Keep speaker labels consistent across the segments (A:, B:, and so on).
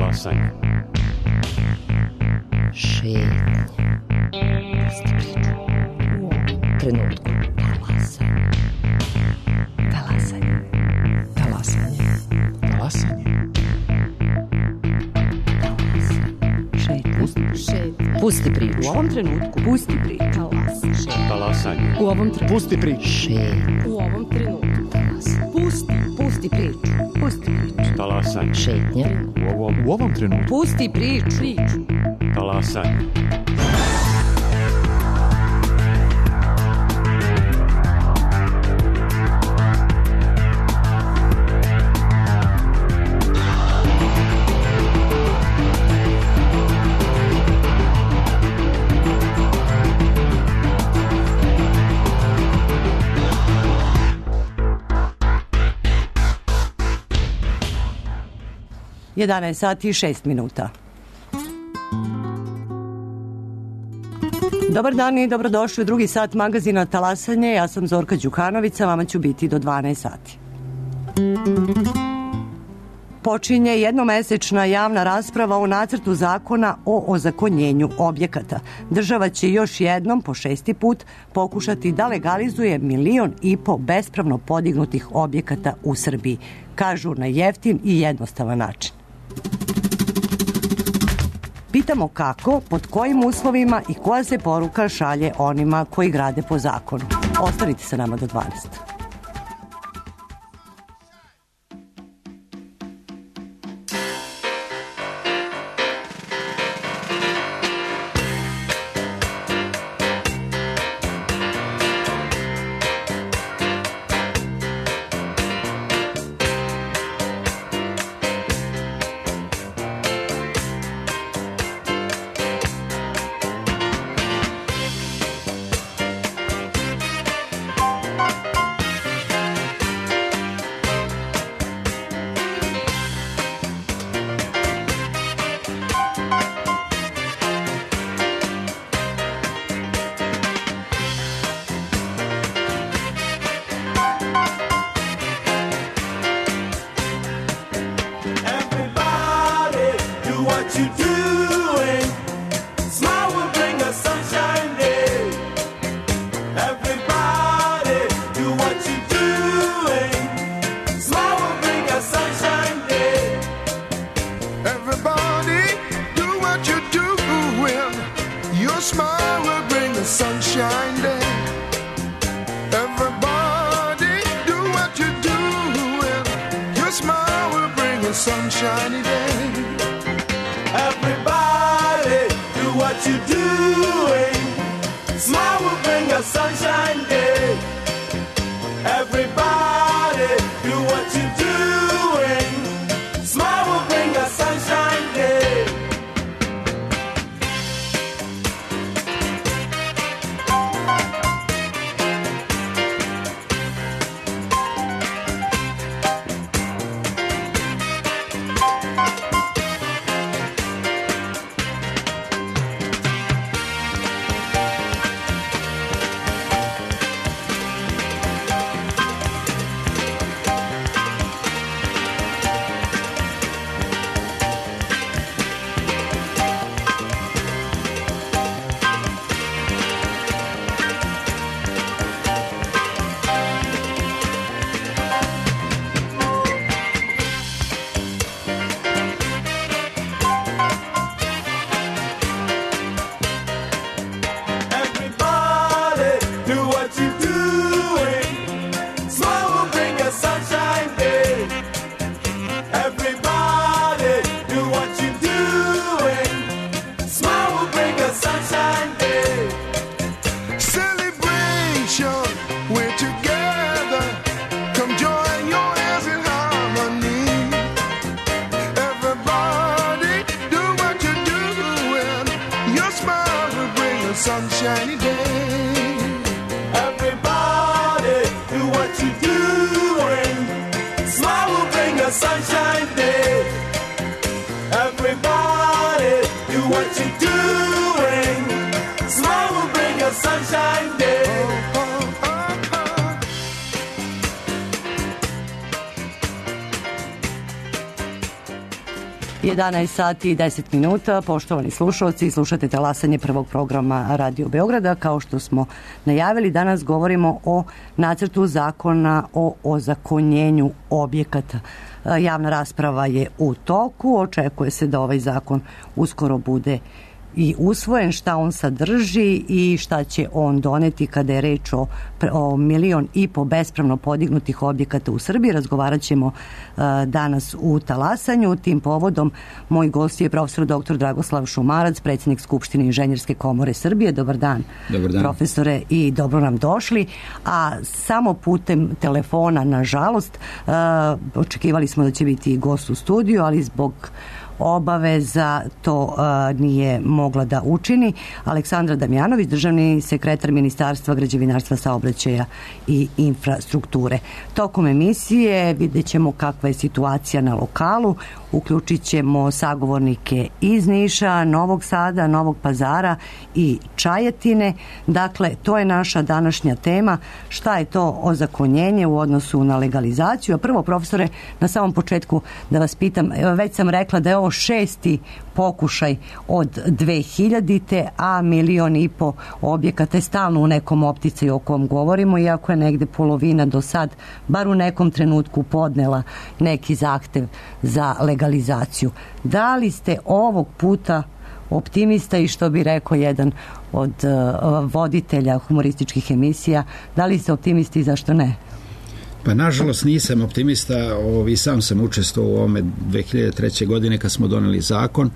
A: Talasanje.
B: Šetnja. Pusti priču. U ovom trenutku. Talasanje. Talasanje. Talasanje.
A: Talasanje.
B: Šetnja. Pusti priču.
C: U ovom trenutku. Pusti priču.
A: Talasanje.
C: U ovom trenutku.
A: Pusti priču.
B: Šetnja.
C: U ovom trenutku. Pusti priču. Pusti priču.
A: Talasanje.
B: Šetnja.
A: U ovom trenutku.
C: Pusti priču.
A: Talasanje.
D: Jedanaest sati i 6 minuta. Dobar dan i dobrodošli u drugi sat magazina Talasanje. Ja sam Zorka Đukanović, vama ću biti do 12 sati. Počinje jednomesečna javna rasprava o nacrtu zakona o ozakonjenju objekata. Država će još jednom, po 6. put, pokušati da legalizuje 1,5 miliona bespravno podignutih objekata u Srbiji. Kažu na jeftin i jednostavan način. Pitamo kako, pod kojim uslovima i koja se poruka šalje onima koji grade po zakonu. Ostanite sa nama do 12. 11 sati i 10 minuta. Poštovani slušalci, slušate talasanje prvog programa Radio Beograda. Kao što smo najavili, danas govorimo o nacrtu zakona o ozakonjenju objekata. Javna rasprava je u toku. Očekuje se da ovaj zakon uskoro bude i usvojen, šta on sadrži i šta će on doneti kada je reč o 1,5 miliona bespravno podignutih objekata u Srbiji. Razgovarat ćemo danas u Talasanju. Tim povodom moj gost je profesor dr. Dragoslav Šumarac, predsjednik Skupštine Inženjerske komore Srbije. Dobar dan, profesore, i dobro nam došli. A samo putem telefona, nažalost, očekivali smo da će biti gost u studiju, ali zbog obaveza to nije mogla da učini. Aleksandra Damjanović, državni sekretar Ministarstva građevinarstva, saobraćaja i infrastrukture. Tokom emisije vidjet ćemo kakva je situacija na lokalu, uključit ćemo sagovornike iz Niša, Novog Sada, Novog Pazara i Čajetine. Dakle, to je naša današnja tema. Šta je to ozakonjenje u odnosu na legalizaciju? A prvo, profesore, na samom početku da vas pitam, već sam rekla da je ovo 6. pokušaj od 2000. a 1,5 miliona objekata je stalno u nekom opticaju o kom govorimo, iako je negde polovina do sad, bar u nekom trenutku, podnela neki zahtev za legalizaciju. Da li ste ovog puta optimista i, što bi rekao jedan od voditelja humorističkih emisija, da li ste optimisti i zašto ne?
E: Pa nažalost nisam optimista, i sam sam učestvovao u ovome 2003. godine kad smo doneli zakon.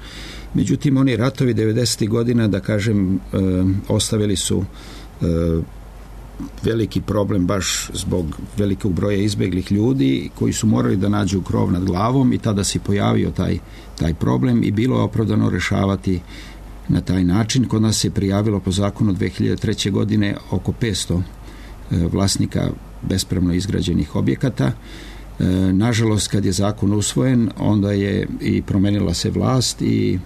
E: Međutim, oni ratovi 90. godina, da kažem, ostavili su veliki problem baš zbog velikog broja izbeglih ljudi koji su morali da nađu krov nad glavom, i tada se pojavio taj problem i bilo je opravdano rešavati na taj način. Kod nas se prijavilo po zakonu 2003. godine oko 500 vlasnika bespravno izgrađenih objekata. Nažalost, kad je zakon usvojen, onda je i promenila se vlast i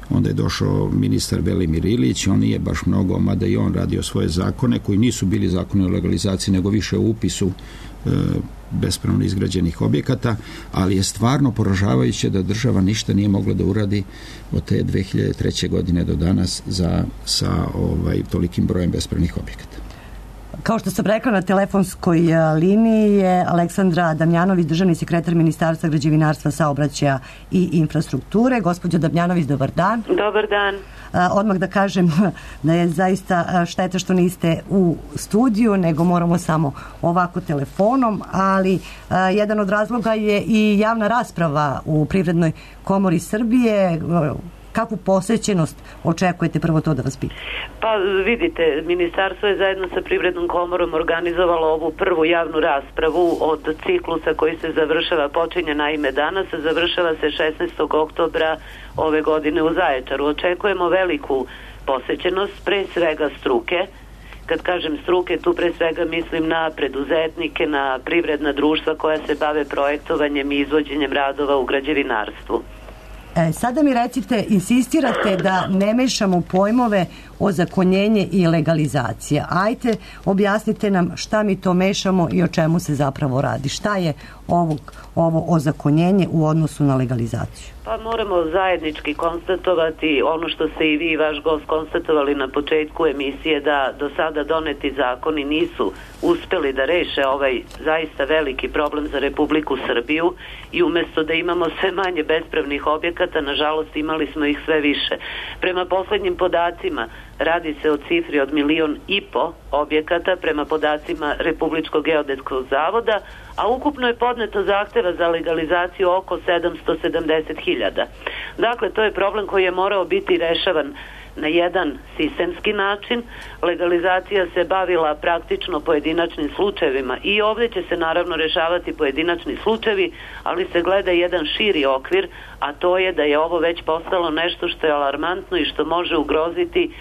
E: onda je došao ministar Velimir Ilić. On nije baš mnogo, mada i on radio svoje zakone koji nisu bili zakoni o legalizaciji, nego više o upisu bespravno izgrađenih objekata, ali je stvarno poražavajuće da država ništa nije mogla da uradi od te 2003. godine do danas sa tolikim brojem bespravnih objekata.
D: Kao što sam rekla, na telefonskoj liniji je Aleksandra Damjanović, državni sekretar Ministarstva građevinarstva, saobraćaja i infrastrukture. Gospođo Damjanović, dobar dan.
F: Dobar dan.
D: Odmah da kažem da je zaista šteta što niste u studiju, nego moramo samo ovako telefonom, ali jedan od razloga je i javna rasprava u Privrednoj komori Srbije. Kakvu posvećenost očekujete, prvo to da vas pitam?
F: Pa vidite, ministarstvo je zajedno sa Privrednom komorom organizovalo ovu prvu javnu raspravu od ciklusa koji se završava, počinje naime danas, a završava se 16. oktobra ove godine u Zaječaru. Očekujemo veliku posvećenost, pre svega struke. Kad kažem struke, tu pre svega mislim na preduzetnike, na privredna društva koja se bave projektovanjem i izvođenjem radova u građevinarstvu.
D: Sada mi recite, insistirate da ne mešamo pojmove ozakonjenje i legalizacija. Ajte, objasnite nam šta mi to mešamo i o čemu se zapravo radi. Šta je ovo ozakonjenje u odnosu na legalizaciju?
F: Pa moramo zajednički konstatovati ono što ste i vi i vaš gost konstatovali na početku emisije, da do sada doneti zakoni nisu uspeli da reše ovaj zaista veliki problem za Republiku Srbiju, i umesto da imamo sve manje bespravnih objekata, nažalost imali smo ih sve više. Prema poslednjim podacima radi se o cifri od 1,5 miliona objekata prema podacima Republičkog geodetskog zavoda, a ukupno je podneto zahteva za legalizaciju oko 770.000. Dakle, to je problem koji je morao biti rešavan na jedan sistemski način. Legalizacija se bavila praktično pojedinačnim slučajevima i ovdje će se naravno rešavati pojedinačni slučajevi, ali se gleda jedan širi okvir, a to je da je ovo već postalo nešto što je alarmantno i što može ugroziti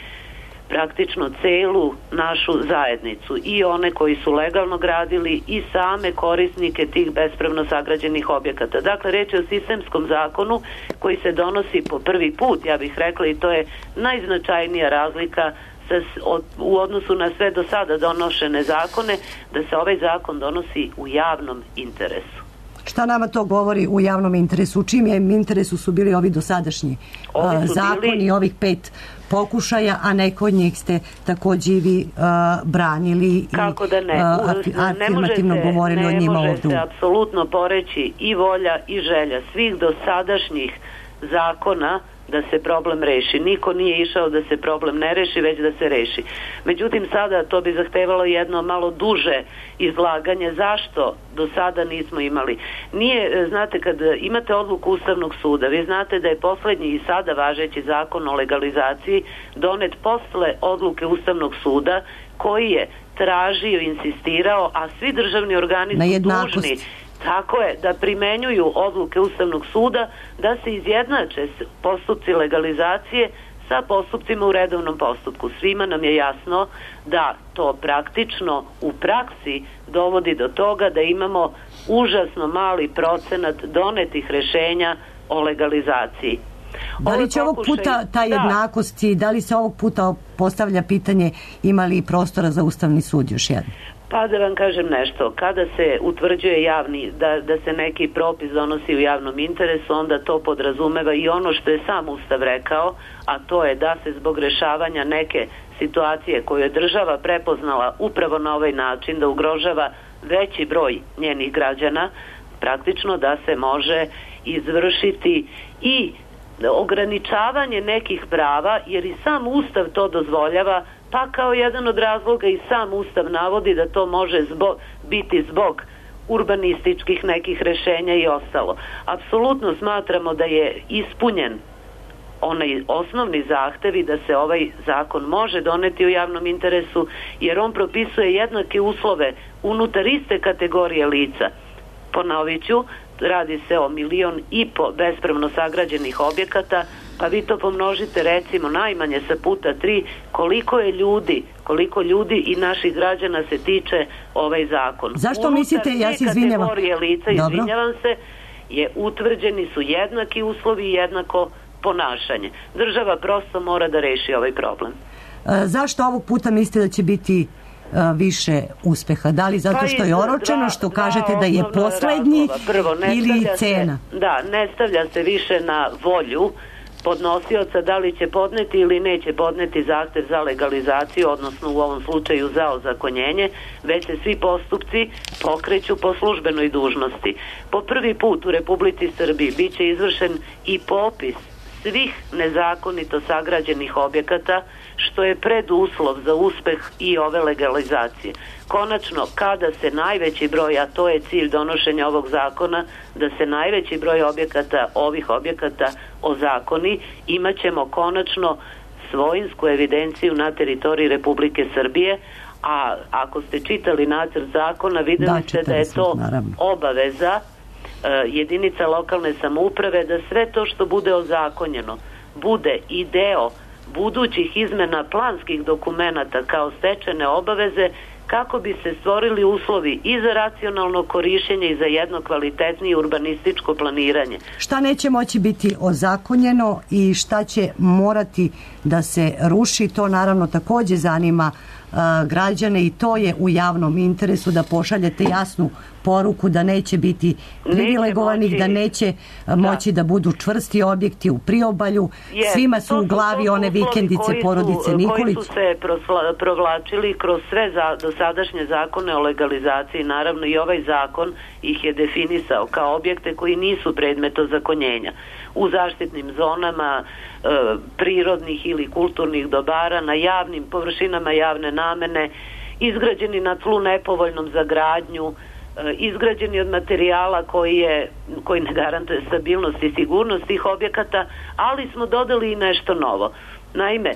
F: praktično celu našu zajednicu, i one koji su legalno gradili i same korisnike tih bespravno sagrađenih objekata. Dakle, reč je o sistemskom zakonu koji se donosi po prvi put, ja bih rekla, i to je najznačajnija razlika u odnosu na sve do sada donošene zakone, da se ovaj zakon donosi u javnom interesu.
D: Šta nama to govori u javnom interesu? U čim je interesu su bili ovi dosadašnji zakoni, ovih 5 pokušaja, a neko od njih ste takođe i vi branili
F: kako da ne?
D: Afirmativno govorili o njima ovdje.
F: Ne može se apsolutno poreći i volja i želja svih dosadašnjih zakona da se problem reši. Niko nije išao da se problem ne reši, već da se reši. Međutim, sada to bi zahtevalo jedno malo duže izlaganje. Zašto do sada nismo imali? Nije, znate, kad imate odluku Ustavnog suda, vi znate da je poslednji i sada važeći zakon o legalizaciji donet posle odluke Ustavnog suda, koji je tražio, insistirao, a svi državni organi su dužni, tako je, da primenjuju odluke Ustavnog suda, da se izjednače postupci legalizacije sa postupcima u redovnom postupku. Svima nam je jasno da to praktično u praksi dovodi do toga da imamo užasno mali procenat donetih rešenja o legalizaciji.
D: Da li će ovog puta ta jednakost i da li se ovog puta postavlja pitanje ima li prostora za Ustavni sud još jedno?
F: Pa da vam kažem nešto, kada se utvrđuje javni, da se neki propis donosi u javnom interesu, onda to podrazumeva i ono što je sam Ustav rekao, a to je da se zbog rešavanja neke situacije koju je država prepoznala upravo na ovaj način, da ugrožava veći broj njenih građana, praktično da se može izvršiti i ograničavanje nekih prava, jer i sam Ustav to dozvoljava, pa kao jedan od razloga i sam Ustav navodi da to može biti zbog urbanističkih nekih rešenja i ostalo. Apsolutno smatramo da je ispunjen onaj osnovni zahtev i da se ovaj zakon može doneti u javnom interesu, jer on propisuje jednake uslove unutar iste kategorije lica. Ponovit ću, radi se o 1,5 miliona bespravno sagrađenih objekata, pa vi to pomnožite recimo najmanje sa puta 3, koliko ljudi i naših građana se tiče ovaj zakon.
D: Zašto mislite, ja se izvinjavam.
F: Unutar te kategorije lica, izvinjavam se, utvrđeni su jednaki uslovi i jednako ponašanje. Država prosto mora da reši ovaj problem.
D: Zašto ovog puta mislite da će biti više uspeha? Da li zato što je oročeno, što kažete da je poslednji ili cena?
F: Da, ne stavlja se više na volju podnosioca da li će podneti ili neće podneti zahtev za legalizaciju, odnosno u ovom slučaju za ozakonjenje, već se svi postupci pokreću po službenoj dužnosti. Po prvi put u Republici Srbiji biće izvršen i popis svih nezakonito sagrađenih objekata, što je preduslov za uspeh i ove legalizacije. Konačno, kada se najveći broj, a to je cilj donošenja ovog zakona, da se najveći broj ovih objekata ozakoni, imat ćemo konačno svojinsku evidenciju na teritoriji Republike Srbije, a ako ste čitali nacrt zakona, videli ste da je to obaveza jedinica lokalne samouprave, da sve to što bude ozakonjeno bude i deo budućih izmena planskih dokumenata kao stečene obaveze, kako bi se stvorili uslovi i za racionalno korišćenje i za jedno kvalitetnije urbanističko planiranje.
D: Šta neće moći biti ozakonjeno i šta će morati da se ruši, to naravno takođe zanima građane i to je u javnom interesu, da pošaljete jasnu poruku da neće biti privilegovanih, da neće moći da budu čvrsti objekti u priobalju. Svima su u glavi one vikendice porodice Nikolić.
F: Koji su se provlačili kroz sve dosadašnje zakone o legalizaciji. Naravno i ovaj zakon ih je definisao kao objekte koji nisu predmet ozakonjenja. U zaštitnim zonama prirodnih ili kulturnih dobara, na javnim površinama javne namene, izgrađeni na tlu nepovoljnom za gradnju, izgrađeni od materijala koji ne garantuje stabilnost i sigurnost tih objekata, ali smo dodali i nešto novo. Naime,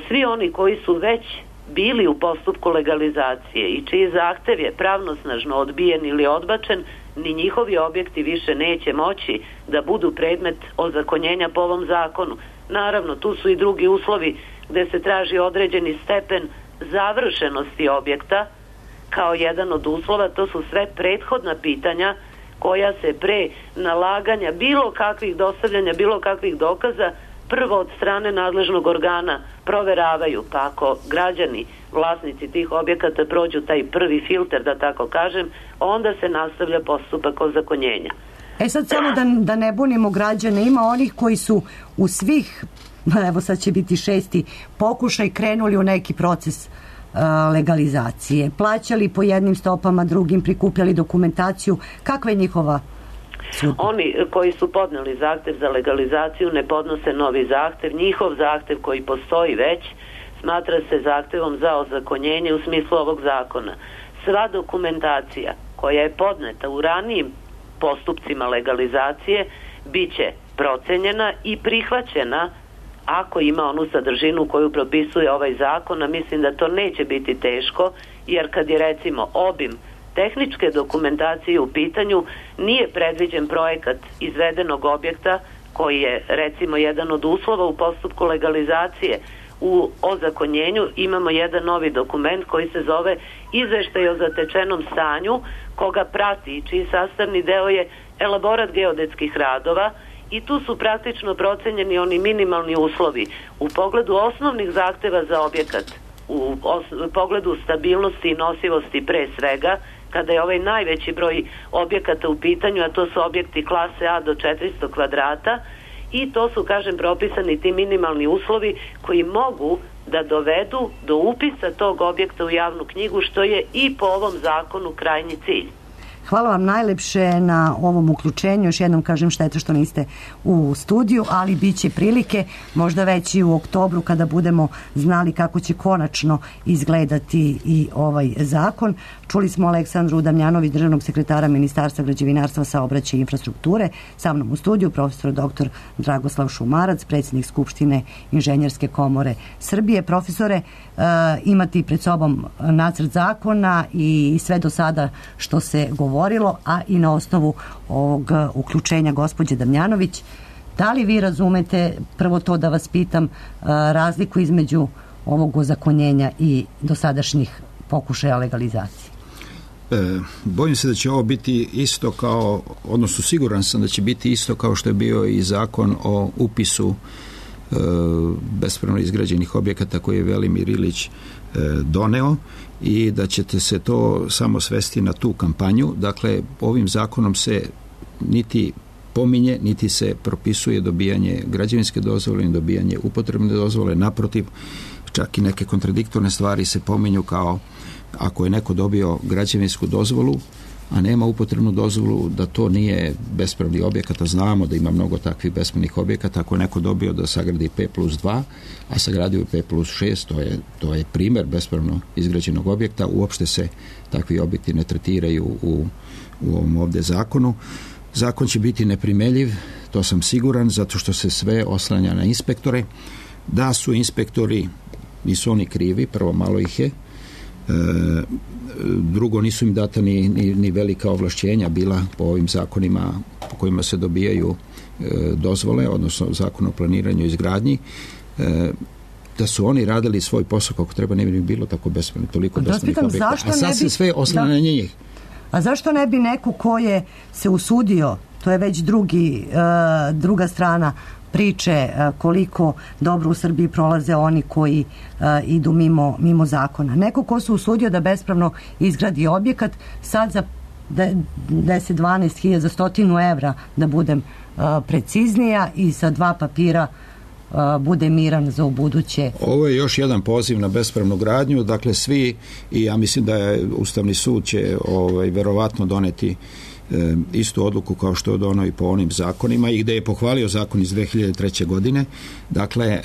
F: svi oni koji su već bili u postupku legalizacije i čiji zahtev je pravnosnažno odbijen ili odbačen, ni njihovi objekti više neće moći da budu predmet ozakonjenja po ovom zakonu. Naravno, tu su i drugi uslovi gde se traži određeni stepen završenosti objekta kao jedan od uslova. To su sve prethodna pitanja koja se pre nalaganja bilo kakvih dostavljanja, bilo kakvih dokaza prvo od strane nadležnog organa proveravaju, pa ako građani, vlasnici tih objekata prođu taj prvi filter, da tako kažem, onda se nastavlja postupak ozakonjenja.
D: Sad samo da ne bunimo građane, ima onih koji su u svih, evo sad će biti 6. pokušaj, krenuli u neki proces legalizacije, plaćali po jednim stopama, drugim, prikupljali dokumentaciju. Kakva je njihova sudba?
F: Oni koji su podneli zahtev za legalizaciju ne podnose novi zahtev. Njihov zahtev koji postoji već smatra se zahtevom za ozakonjenje u smislu ovog zakona. Sva dokumentacija koja je podneta u ranijim postupcima legalizacije bit će procenjena i prihvaćena ako ima onu sadržinu koju propisuje ovaj zakon, a mislim da to neće biti teško, jer kad je recimo obim tehničke dokumentacije u pitanju, nije predviđen projekat izvedenog objekta koji je recimo jedan od uslova u postupku legalizacije. U ozakonjenju imamo jedan novi dokument koji se zove Izveštaj o zatečenom stanju, koga prati i čiji sastavni deo je elaborat geodetskih radova, i tu su praktično procenjeni oni minimalni uslovi u pogledu osnovnih zahteva za objekat, u pogledu stabilnosti i nosivosti pre svega, kada je ovaj najveći broj objekata u pitanju, a to su objekti klase A do 400 kvadrata, i to su, kažem, propisani ti minimalni uslovi koji mogu da dovedu do upisa tog objekta u javnu knjigu, što je i po ovom zakonu krajnji cilj.
D: Hvala vam najlepše na ovom uključenju. Još jednom kažem, šteta što niste u studiju, ali bit će prilike, možda već i u oktobru, kada budemo znali kako će konačno izgledati i ovaj zakon. Čuli smo Aleksandru Damjanović, državnog sekretara Ministarstva građevinarstva, saobraćaja i infrastrukture. Sa mnom u studiju profesor dr. Dragoslav Šumarac, predsjednik Skupštine Inženjerske komore Srbije. Profesore, imate pred sobom nacrt zakona i sve do sada što se govorilo, a i na osnovu ovog uključenja gospođe Damjanović, da li vi razumete, prvo to da vas pitam, razliku između ovog ozakonjenja i dosadašnjih pokušaja legalizacije?
E: Bojim se da će ovo biti isto kao, odnosno siguran sam da će biti isto kao što je bio i zakon o upisu bespravno izgrađenih objekata koji je Velimir Ilić doneo, i da ćete se to samo svesti na tu kampanju. Dakle, ovim zakonom se niti pominje, niti se propisuje dobijanje građevinske dozvole i dobijanje upotrebne dozvole. Naprotiv, čak i neke kontradiktorne stvari se pominju, kao ako je neko dobio građevinsku dozvolu, a nema upotrebnu dozvolu, da to nije bespravni objekat. Znamo da ima mnogo takvih bespravnih objekata. Ako je neko dobio da sagradi P+2, a sagradio P+6, to je primjer bespravno izgrađenog objekta. Uopšte se takvi objekti ne tretiraju u ovom ovdje zakonu. Zakon će biti neprimeljiv, to sam siguran, zato što se sve oslanja na inspektore. Da su inspektori, nisu oni krivi, prvo malo ih je, drugo, nisu im data ni velika ovlašćenja bila po ovim zakonima po kojima se dobijaju dozvole, odnosno zakon o planiranju i izgradnji. Da su oni radili svoj posao kako treba, ne bi bilo tako bespravno, toliko bespravnih objekata. A sad se sve oslanja na njih.
D: A zašto ne bi neko ko je se usudio, to je već druga strana priče, koliko dobro u Srbiji prolaze oni koji idu mimo zakona. Neko ko se usudio da bespravno izgradi objekat, sad za 10-12 hiljada, za 100 evra, da budem preciznija, i sa 2 papira bude miran za ubuduće.
E: Ovo je još jedan poziv na bespravnu gradnju. Dakle, svi, i ja mislim da je Ustavni sud će verovatno doneti istu odluku kao što je donio i po onim zakonima, i gde je pohvalio zakon iz 2003. godine. Dakle,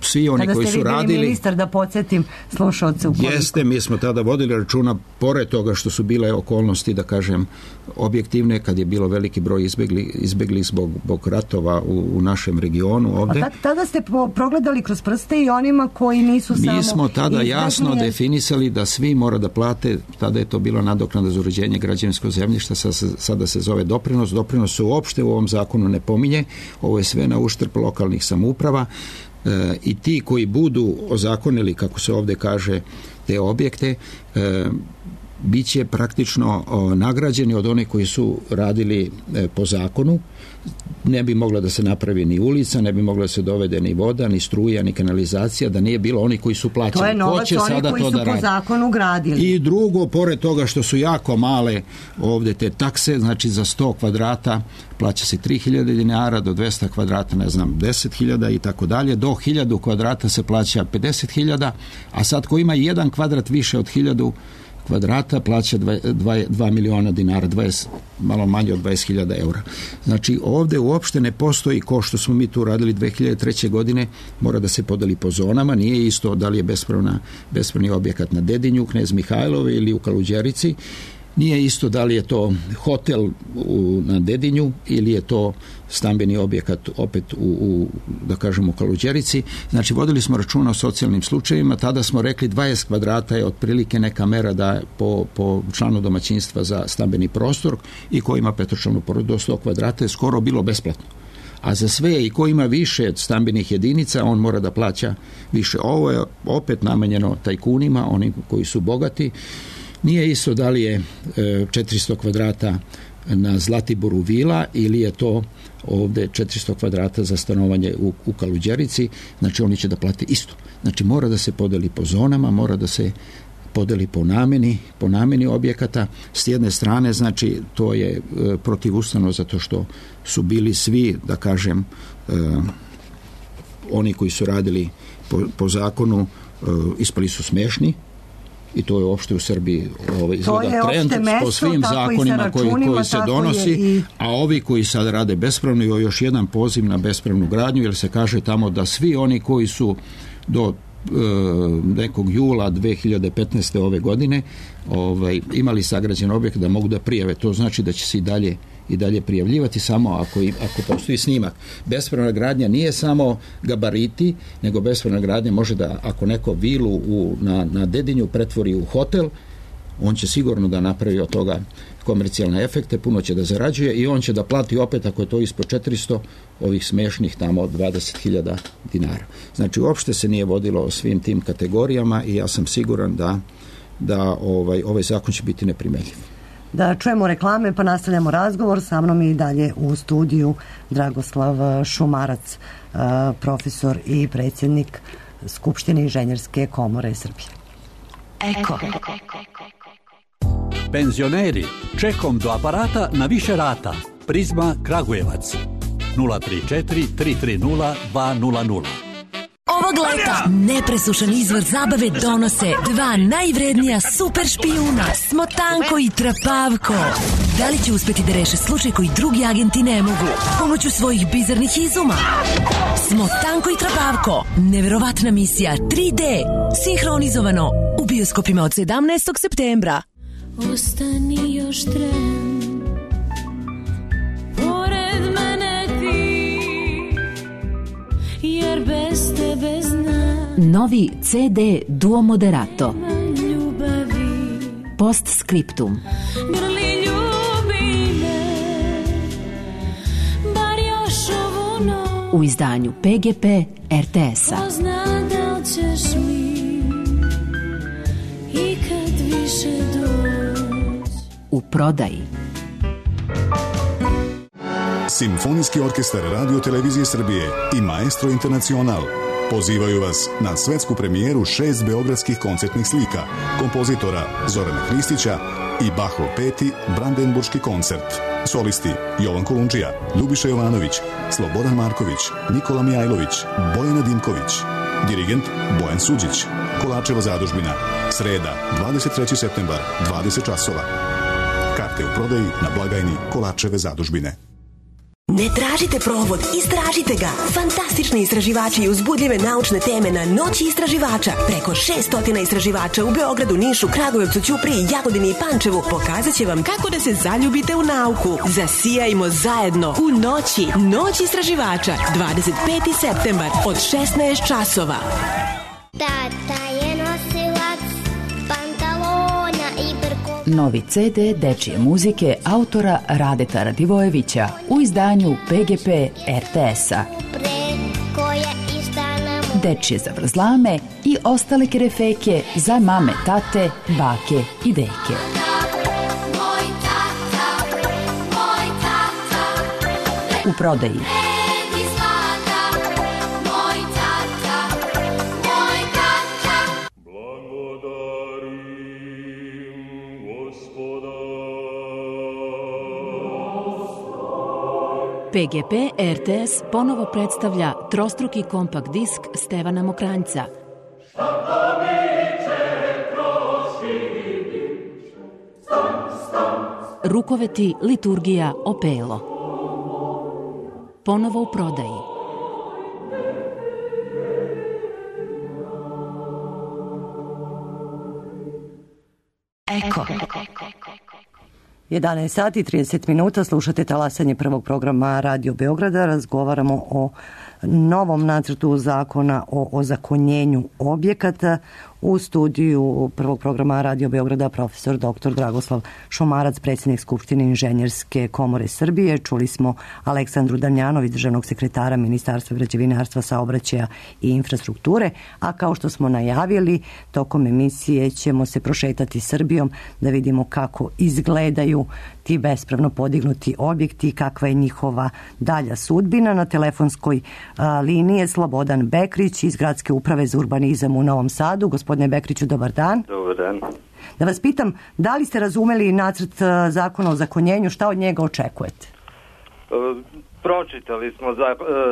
E: svi oni koji su radili... Kada ste vi bili ministar, da podsjetim slušalce u koliko... Jeste, mi smo tada vodili računa, pored toga što su bile okolnosti, da kažem, objektivne, kad je bilo veliki broj izbegli zbog ratova u našem regionu ovde.
D: A tada ste progledali kroz prste i onima koji nisu samo...
E: Mi smo tada jasno definisali da svi mora da plate, tada je to bilo nadoknada za uređenje građevinskog zemljišta, sada se zove doprinos. Doprinos se uopšte u ovom zakonu ne pominje, ovo je sve na uštrb lokalnih samouprava. I ti koji budu ozakonili, kako se ovdje kaže, te objekte, bit će praktično nagrađeni od onih koji su radili po zakonu. Ne bi mogla da se napravi ni ulica, ne bi mogla da se dovede ni voda, ni struja, ni kanalizacija, da nije bilo oni koji su plaćali.
D: To je novac oni koji su po zakonu gradili.
E: I drugo, pored toga što su jako male ovde te takse, znači za 100 kvadrata plaća se 3000 dinara, do 200 kvadrata, ne znam, 10.000 i tako dalje, do 1000 kvadrata se plaća 50.000, a sad ko ima jedan kvadrat više od 1000 kvadrata plaća 2 miliona dinara, malo manje od 20.000 eura. Znači ovde uopšte ne postoji, ko što smo mi tu radili 2003. godine, mora da se podeli po zonama, nije isto da li je bespravni objekat na Dedinju, Knez Mihajlove ili u Kaluđerici, nije isto da li je to hotel na Dedinju ili je to stambeni objekat opet da kažemo u Kaluđerici. Znači vodili smo računa o socijalnim slučajevima, tada smo rekli 20 kvadrata je otprilike neka mera da po članu domaćinstva za stambeni prostor i ko ima petočlanu porodicu do 100 kvadrata je skoro bilo besplatno. A za sve i ko ima više stambenih jedinica, on mora da plaća više. Ovo je opet namenjeno tajkunima, oni koji su bogati. Nije isto da li je 400 kvadrata na Zlatiboru vila ili je to ovde 400 kvadrata za stanovanje u Kaluđerici, znači oni će da plate isto. Znači mora da se podeli po zonama, mora da se podeli po nameni objekata. S jedne strane, znači to je protivustavno zato što su bili svi, da kažem, oni koji su radili po zakonu ispali su smešni. I to je uopšte u Srbiji izgleda trend po svim zakonima koji se donosi, a ovi koji sad rade bespravno, i još jedan poziv na bespravnu gradnju, jer se kaže tamo da svi oni koji su do nekog jula 2015. ove godine imali sagrađen objekt da mogu da prijave. To znači da će se i dalje prijavljivati samo ako postoji snimak. Bespravna gradnja nije samo gabariti, nego bespravna gradnja može da, ako neko vilu na Dedinju pretvori u hotel, on će sigurno da napravi od toga komercijalne efekte, puno će da zarađuje i on će da plati opet, ako je to ispod 400, ovih smešnih tamo 20.000 dinara. Znači, uopšte se nije vodilo o svim tim kategorijama i ja sam siguran da ovaj zakon će biti neprimenljiv.
D: Da čujemo reklame pa nastavljamo razgovor. Sa mnom i dalje u studiju Dragoslav Šumarac, profesor i predsjednik Skupštine Inženjerske komore Srbije.
B: Eko.
G: Penzioneri, čekom do aparata na više rata. Prizma Kragujevac 034 330 200.
H: Ovog leta nepresušan izvor zabave donose dva najvrednija super špijuna, Smotanko i Trapavko. Da li će uspjeti da reše slučaj koji drugi agenti ne mogu pomoću svojih bizarnih izuma? Smotanko i Trapavko, neverovatna misija 3D, sinhronizovano u bioskopima od 17. septembra.
I: Ostani još tren, pored mene ti, jer bez tebe znam.
H: Novi CD Duo Moderato. Postscriptum.
I: Grli ljubi me, bar još ovu noć.
H: U izdanju PGP RTS-a.
I: Ko zna da li ćeš mi ikad više doći.
H: U prodaji.
J: Simfonijski orkestar Radio Televizije Srbije i Maestro Internacional pozivaju vas na svetsku premijeru 6 beogradskih koncertnih slika kompozitora Zorana Hristića i Bachov 5. Brandenburški koncert. Solisti Jovan Kolundžija, Ljubiša Jovanović, Slobodan Marković, Nikola Mijajlović, Bojana Dimković. Dirigent Bojan Suđić. Kolačeva zadužbina. Sreda, 23. septembar, 20 časova. Karte u prodaji na blagajni Kolačeve zadužbine.
H: Ne tražite provod, istražite ga. Fantastični istraživači i uzbudljive naučne teme na Noći istraživača. Preko 600 istraživača u Beogradu, Nišu, Kragujevcu, Ćupriji, Jagodini i Pančevu pokazat će vam kako da se zaljubite u nauku. Zasijajmo zajedno u Noći. Noć istraživača, 25. septembar od 16 časova.
I: Tata je nosilac pantalona i brko.
H: Novi CD dečije muzike autora Radeta Radivojevića u izdanju PGP RTS-a.
K: dečje zavrzlame i ostale kerefeke za mame, tate, bake i deke. U prodaji
L: PGP RTS ponovo predstavlja trostruki kompakt disk Stevana Mokranjca. Rukoveti, liturgija, opelo. Ponovo u prodaji.
H: Eko.
D: 11 sati 30 minuta, slušate talasanje prvog programa Radio Beograda. Razgovaramo o novom nacrtu zakona o ozakonjenju objekata. U studiju prvog programa Radio Beograda profesor dr. Dragoslav Šomarac, predsjednik Skupštine Inženjerske komore Srbije. Čuli smo Aleksandru Damjanović, državnog sekretara Ministarstva građevinarstva, saobraćaja i infrastrukture, a kao što smo najavili, tokom emisije ćemo se prošetati Srbijom da vidimo kako izgledaju ti bespravno podignuti objekti i kakva je njihova dalja sudbina. Na telefonskoj liniji je Slobodan Bekrić iz Gradske uprave za urbanizam u Novom Sadu. Gospodine Bekriću, dobar dan.
M: Dobar dan.
D: Da vas pitam, da li ste razumeli nacrt zakona o ozakonjenju, šta od njega očekujete?
M: Pročitali smo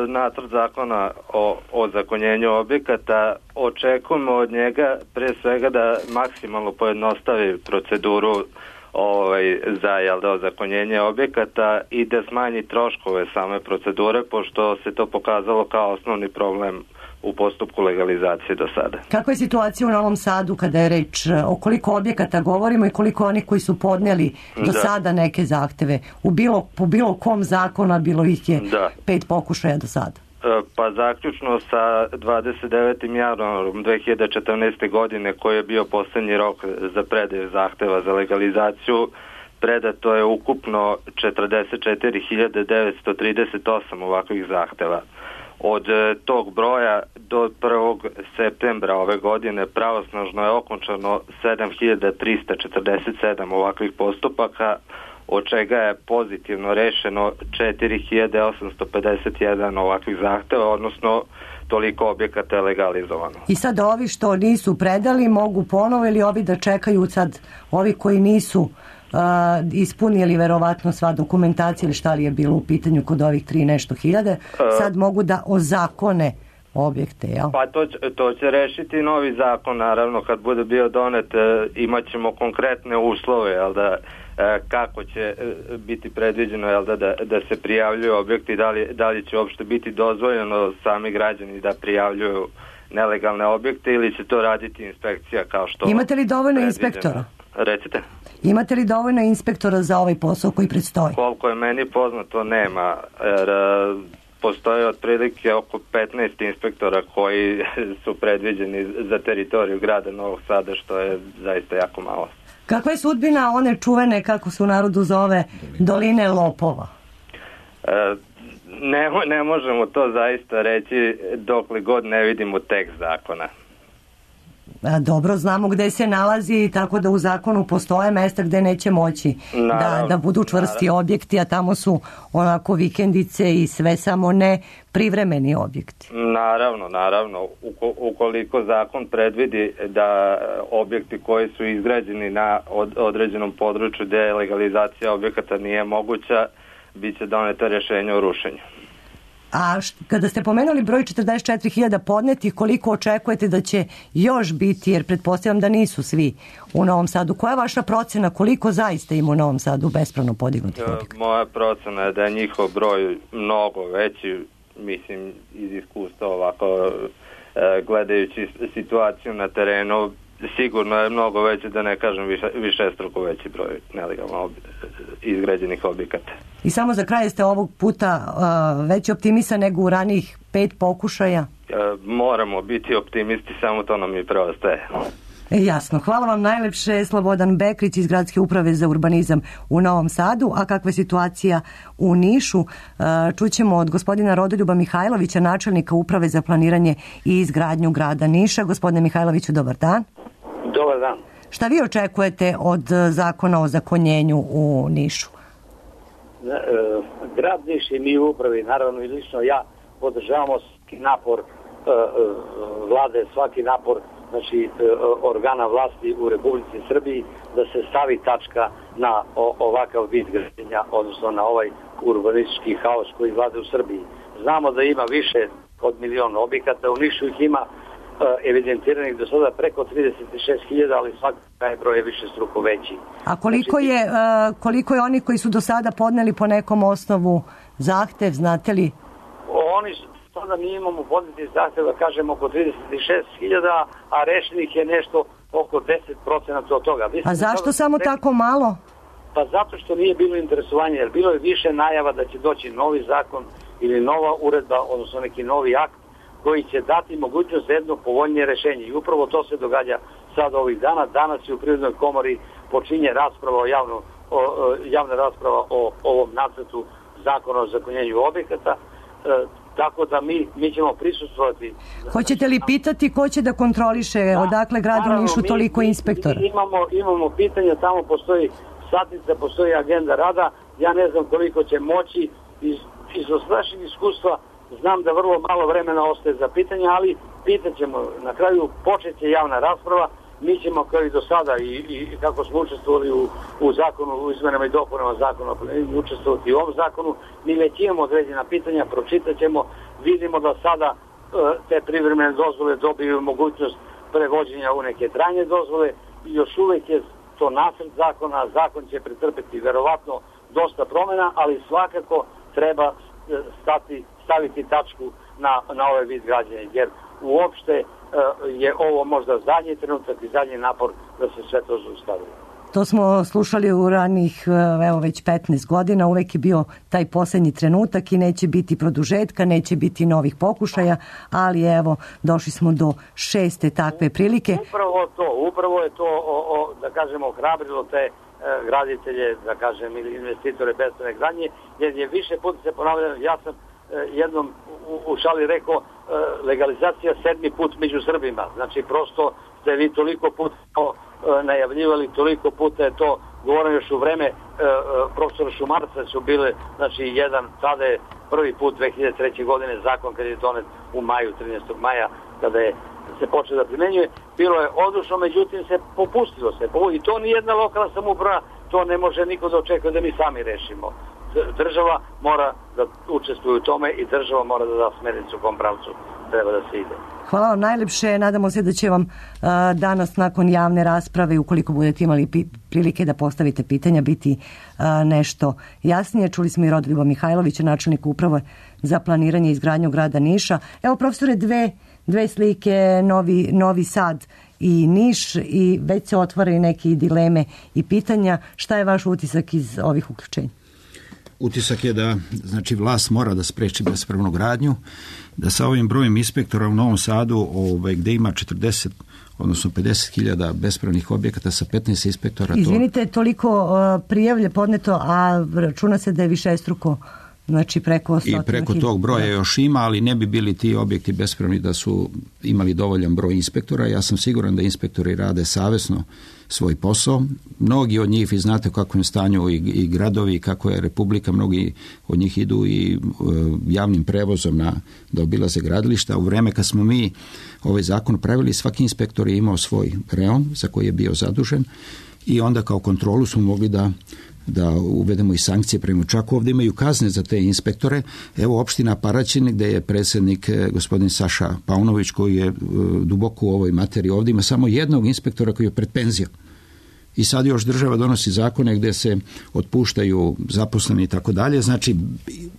M: nacrt zakona o ozakonjenju objekata. Očekujemo od njega pre svega da maksimalno pojednostavi proceduru za ozakonjenje objekata i da smanji troškove same procedure, pošto se to pokazalo kao osnovni problem u postupku legalizacije do sada.
D: Kakva je situacija u Novom Sadu kada je reč o koliko objekata govorimo i koliko onih koji su podnijeli do sada neke zahteve? Po bilo kom zakonu bilo ih je 5 pokušaja do sada.
M: Pa zaključno sa 29. januarom 2014. godine, koji je bio posljednji rok za predaju zahteva za legalizaciju, predato je ukupno 44.938 ovakvih zahteva. Od tog broja do 1. septembra ove godine pravosnažno je okončano 7.347 ovakvih postupaka, od čega je pozitivno rešeno 4.851 ovakvih zahteva, odnosno toliko objekata je legalizovano.
D: I sad ovi što nisu predali mogu ponovo ili ovi da čekaju sad, ovi koji nisu ispunili verovatno sva dokumentacija ili šta li je bilo u pitanju kod ovih 3 nešto hiljade, sad mogu da ozakone objekte, jel?
M: Pa to će rešiti novi zakon, naravno, kad bude bio donet imat ćemo konkretne uslove, jel da, kako će biti predviđeno, jel da se prijavljuju objekti, da li će uopšte biti dozvoljeno sami građani da prijavljuju nelegalne objekte ili će to raditi inspekcija kao što...
D: Imate li dovoljno inspektora?
M: Recite.
D: Imate li dovoljno inspektora za ovaj posao koji predstoji?
M: Koliko je meni poznato nema, jer postoje otprilike oko 15 inspektora koji su predviđeni za teritoriju grada Novog Sada, što je zaista jako malo.
D: Kakva je sudbina one čuvene, kako se u narodu zove, doline lopova?
M: Ne možemo to zaista reći dokle god ne vidimo tekst zakona.
D: Dobro, znamo gde se nalazi, tako da u zakonu postoje mesta gde neće moći da budu čvrsti objekti, a tamo su onako vikendice i sve, samo ne privremeni objekti.
M: Naravno. Ukoliko zakon predvidi da objekti koji su izgrađeni na određenom području gde legalizacija objekata nije moguća, bit će doneto rješenje o rušenju.
D: A kada ste pomenuli broj 44.000 podnetih, koliko očekujete da će još biti, jer pretpostavljam da nisu svi u Novom Sadu. Koja je vaša procena, koliko zaista ima u Novom Sadu bespravno podignutih objekata?
M: Moja procena je da je njihov broj mnogo veći, mislim iz iskustva ovako gledajući situaciju na terenu, sigurno je mnogo veći, da ne kažem višestruko veći broj nelegalno izgrađenih objekata.
D: I samo za kraj, ste ovog puta veći optimista nego u ranijih 5 pokušaja?
M: Moramo biti optimisti, samo to nam i preostaje.
D: Jasno. Hvala vam najlepše, Slobodan Bekrić iz Gradske uprave za urbanizam u Novom Sadu. A kakva je situacija u Nišu? Čućemo od gospodina Rodoljuba Mihajlovića, načelnika uprave za planiranje i izgradnju grada Niša. Gospodine Mihajloviću, dobar dan.
N: Dobar dan.
D: Šta vi očekujete od zakona o ozakonjenju u Nišu?
N: Grad Niš i mi u upravi, naravno i lično ja, podržavamo svaki napor vlade, svaki napor organa vlasti u Republici Srbiji da se stavi tačka na ovakav vid građenja, odnosno na ovaj urbanistički haos koji vlada u Srbiji. Znamo da ima više od 1.000.000 objekata, u Nišu ih ima evidentiranih do sada preko 36.000, ali svaki taj broj je više struko veći.
D: A koliko je oni koji su do sada podneli po nekom osnovu zahtev, znate li?
N: Oni sada mi imamo podneti zahtev, da kažem, oko 36.000, a rešenih je nešto oko 10% od toga.
D: A zašto samo tako malo?
N: Pa zato što nije bilo interesovanja, jer bilo je više najava da će doći novi zakon ili nova uredba, odnosno neki novi akt koji će dati mogućnost za jedno povoljnije rešenje. I upravo to se događa sad ovih dana. Danas je u Privrednoj komori počinje javna rasprava o ovom nacrtu zakona o ozakonjenju objekata, tako da mi ćemo prisustvovati.
D: Hoćete li pitati ko će da kontroliše odakle gradu Nišu toliko inspektora?
N: Imamo pitanja, tamo postoji satnica, postoji agenda rada. Ja ne znam koliko će moći iz našeg iskustva. Znam da vrlo malo vremena ostaje za pitanja, ali pitaćemo. Na kraju počeće javna rasprava. Mi ćemo kao i do sada i kako smo učestvovali u zakonu, u izmenama i dopunama zakona, učestvovati u ovom zakonu. Mi već imamo određena pitanja, pročitat ćemo. Vidimo da sada te privremene dozvole dobiju mogućnost prevođenja u neke trajne dozvole. Još uvek je to nacrt zakona. Zakon će pretrpeti verovatno dosta promjena, ali svakako treba staviti tačku na ovaj vid građenja, jer uopšte je ovo možda zadnji trenutak i zadnji napor da se sve to zaustavi.
D: To smo slušali u ranih, već 15 godina, uvek je bio taj posljednji trenutak i neće biti produžetka, neće biti novih pokušaja, ali evo, došli smo do 6. takve prilike.
N: Upravo je to, da kažemo, ohrabrilo te graditelje, da kažem, ili investitore bespravne gradnje, jer je više puta se ponavljalo. Ja sam jednom u šali rekao, legalizacija 7. put među Srbima. Znači, prosto ste vi toliko puta najavljivali, toliko puta je to govoreno još u vreme profesora Šumarca su bile, znači tada je prvi put 2003. godine zakon kad je donet u maju, 13. maja, kada je se počeo da primenjuje, bilo je odlučno, međutim se popustilo se. I to ni jedna lokalna samouprava, to ne može niko da očekuje da mi sami rešimo. Država mora da učestvuje u tome i država mora da da smernicu u kom pravcu treba da se ide.
D: Hvala vam najlepše. Nadamo se da će vam danas nakon javne rasprave, ukoliko budete imali prilike da postavite pitanja, biti nešto jasnije. Čuli smo i Rodoljuba Mihajlovića, načelnika uprave za planiranje i izgradnju grada Niša. Evo, profesore, dve slike, Novi Sad i Niš, i već se otvaraju neke dileme i pitanja. Šta je vaš utisak iz ovih uključenja?
E: Utisak je da, znači, vlast mora da spreči bespravnu gradnju, da sa ovim brojem inspektora u Novom Sadu, gde ima 40, odnosno 50.000 bespravnih objekata sa 15 inspektora.
D: Izvinite, toliko prijavlje podneto, a računa se da je višestruko, znači preko 100.000.
E: I preko tog broja još ima, ali ne bi bili ti objekti bespravni da su imali dovoljan broj inspektora. Ja sam siguran da inspektori rade savesno svoj posao. Mnogi od njih, vi znate u kakvom stanju i gradovi, kako je Republika, mnogi od njih idu i javnim prevozom da obilaze gradilišta. U vreme kad smo mi ovaj zakon pravili, svaki inspektor je imao svoj reon za koji je bio zadužen i onda kao kontrolu smo mogli da uvedemo i sankcije prema, čak ovdje imaju kazne za te inspektore. Evo, opština Paraćin, gdje je predsjednik gospodin Saša Paunović, koji je duboko u ovoj materiji, ovdje ima samo jednog inspektora koji je pred penzijom. I sad još država donosi zakone gdje se otpuštaju zaposleni i tako dalje. Znači,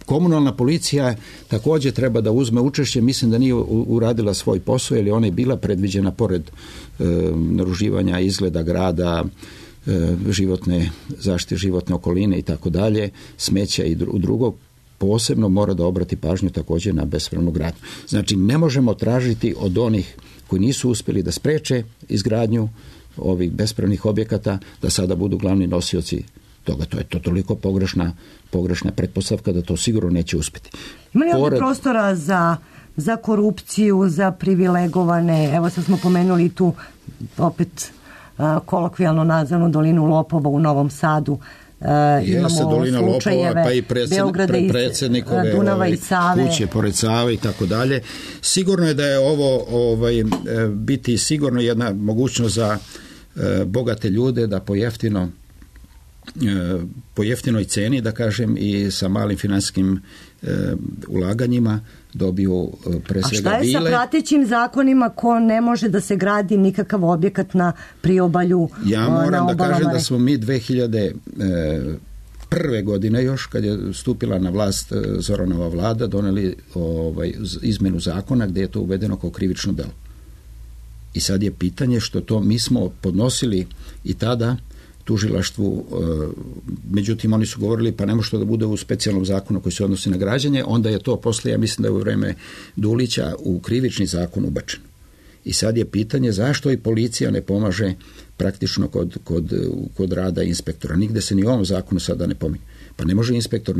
E: komunalna policija također treba da uzme učešće. Mislim da nije uradila svoj posao, jer je ona bila predviđena pored naruživanja izgleda grada, životne zaštite, životne okoline i tako dalje, smeća i drugo, posebno mora da obrati pažnju također na bespravnu gradnju. Znači, ne možemo tražiti od onih koji nisu uspjeli da spreče izgradnju ovih bespravnih objekata, da sada budu glavni nosioci toga. To je to toliko pogrešna pretpostavka da to sigurno neće uspjeti.
D: Ima li ovdje prostora za korupciju, za privilegovane, evo sad smo pomenuli tu opet kolokvijalno nazvanu dolinu lopova u Novom Sadu,
E: Jeste dolina lopova, pa i predsjednikove
D: Dunava i Save,
E: kuće pored Save i tako dalje. Sigurno je da je ovo biti sigurno jedna mogućnost za bogate ljude da po jeftinoj ceni, da kažem, i sa malim financijskim ulaganjima dobiju pre svega vile. A šta je sa pratećim
D: zakonima ko ne može da se gradi nikakav objekat na priobalju?
E: Ja moram da kažem da smo mi 2001. godine još, kad je stupila na vlast Zoranova vlada, doneli izmenu zakona gdje je to uvedeno kao krivično delo. I sad je pitanje što to mi smo podnosili i tada tužilaštvu, međutim oni su govorili pa ne može to da bude u specijalnom zakonu koji se odnosi na građenje, onda je to poslije, ja mislim da je u vreme Dulića u krivični zakon ubačeno. I sad je pitanje zašto i policija ne pomaže praktično kod rada inspektora. Nigde se ni u ovom zakonu sada ne pominje. Pa ne može inspektor,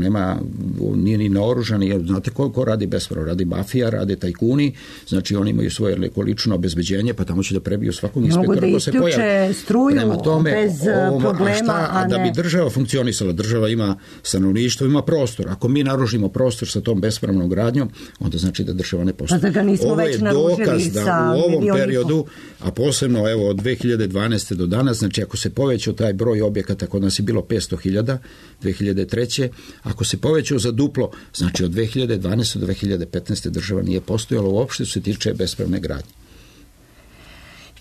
E: nije ni naoružan, znate ko radi bespravno, radi mafija, rade tajkuni, znači oni imaju svoje lično obezbeđenje, pa tamo će da prebiju svakog inspektora ko se pojavi.
D: Mogu da isključe struju bez problema,
E: da bi država funkcionisala, država ima stanovništvo, ima prostor. Ako mi naružimo prostor sa tom bespravnom gradnjom, onda znači da država ne postoji.
D: Pa da nismo
E: ovo je
D: već
E: dokaz da u ovom periodu, a posebno evo od 2012. do danas, znači ako se povećao taj broj objekata, kod nas je bilo 500.000, 2003. Ako se povećao za duplo, znači od 2012. do 2015. država nije postojala uopšte što se tiče bespravne gradnje.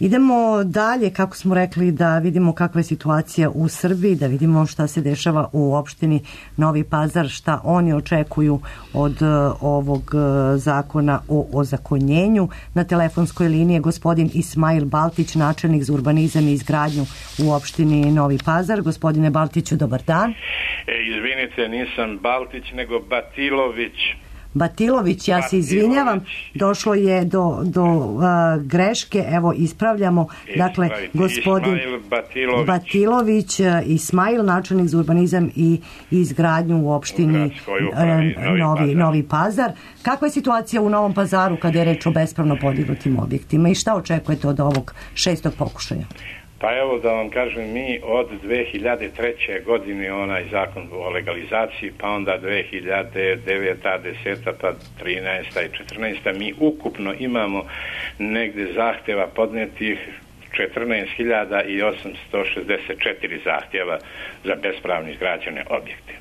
D: Idemo dalje, kako smo rekli, da vidimo kakva je situacija u Srbiji, da vidimo šta se dešava u opštini Novi Pazar, šta oni očekuju od ovog zakona o ozakonjenju. Na telefonskoj liniji je gospodin Ismail Baltić, načelnik za urbanizam i izgradnju u opštini Novi Pazar. Gospodine Baltiću, dobar dan.
O: Izvinite, nisam Baltić, nego
D: Batilović, ja se izvinjavam, došlo je do greške, evo ispravljamo, dakle gospodin Batilović, Ismail, načelnik za urbanizam i izgradnju u opštini Novi Pazar. Kakva je situacija u Novom Pazaru kada je reč o bespravno podignutim objektima i šta očekujete od ovog 6. pokušaja?
O: Pa evo da vam kažem, mi od 2003. godine onaj zakon o legalizaciji, pa onda 2009. 10. pa 13. i 14. mi ukupno imamo negde zahtjeva podnetih 14.864 zahtjeva za bespravno izgrađene objekte.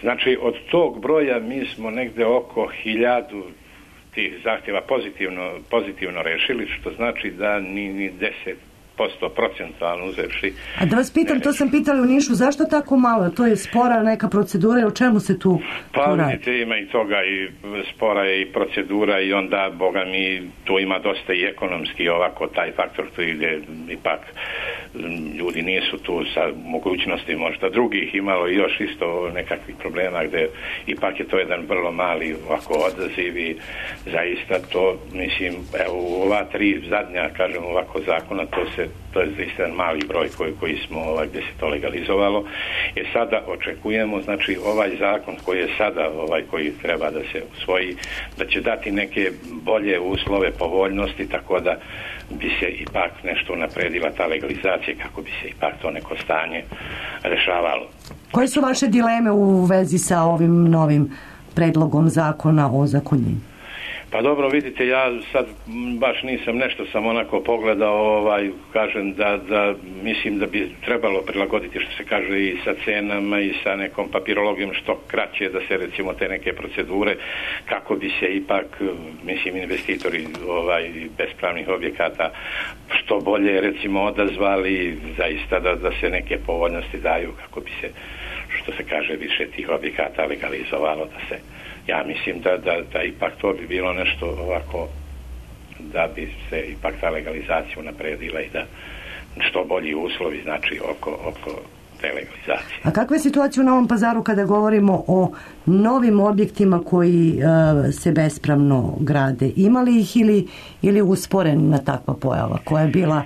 O: Znači od tog broja mi smo negde oko 1000 tih zahtjeva pozitivno rešili, što znači da ni 10% procentualno uzevši.
D: A da vas pitam, to sam pitali u Nišu, zašto tako malo? To je spora neka procedura i o čemu se tu radi?
O: Pa vidite, ima i toga, i spora je i procedura i onda, boga mi, tu ima dosta i ekonomski ovako taj faktor tu ide, ipak ljudi nisu tu sa mogućnosti možda drugih, imalo i još isto nekakvih problema gdje ipak je to jedan vrlo mali ovako odaziv i zaista to, mislim, evo u ova 3 zadnja, kažem ovako zakona, to je zaista mali broj koji smo gdje se to legalizovalo. I sada očekujemo, znači ovaj zakon koji je sada, koji treba da se usvoji, da će dati neke bolje uslove povoljnosti, tako da bi se ipak nešto napredila ta legalizacija, kako bi se ipak to neko stanje rešavalo.
D: Koje su vaše dileme u vezi sa ovim novim predlogom zakona o ozakonjenju?
O: Pa dobro, vidite, ja sad baš nisam nešto sam onako pogledao, kažem da mislim da bi trebalo prilagoditi, što se kaže, i sa cenama i sa nekom papirologijom što kraće, da se recimo te neke procedure, kako bi se ipak, mislim, investitori bespravnih objekata što bolje recimo odazvali, zaista da se neke povoljnosti daju, kako bi se, što se kaže, više tih objekata legalizovalo, da se, ja mislim da ipak to bi bilo nešto ovako, da bi se ipak ta legalizacija napredila i da što bolji uslovi, znači oko te legalizacije.
D: A kakva je situacija u Novom Pazaru kada govorimo o novim objektima koji se bespravno grade? Ima li ih ili usporena takva pojava koja je bila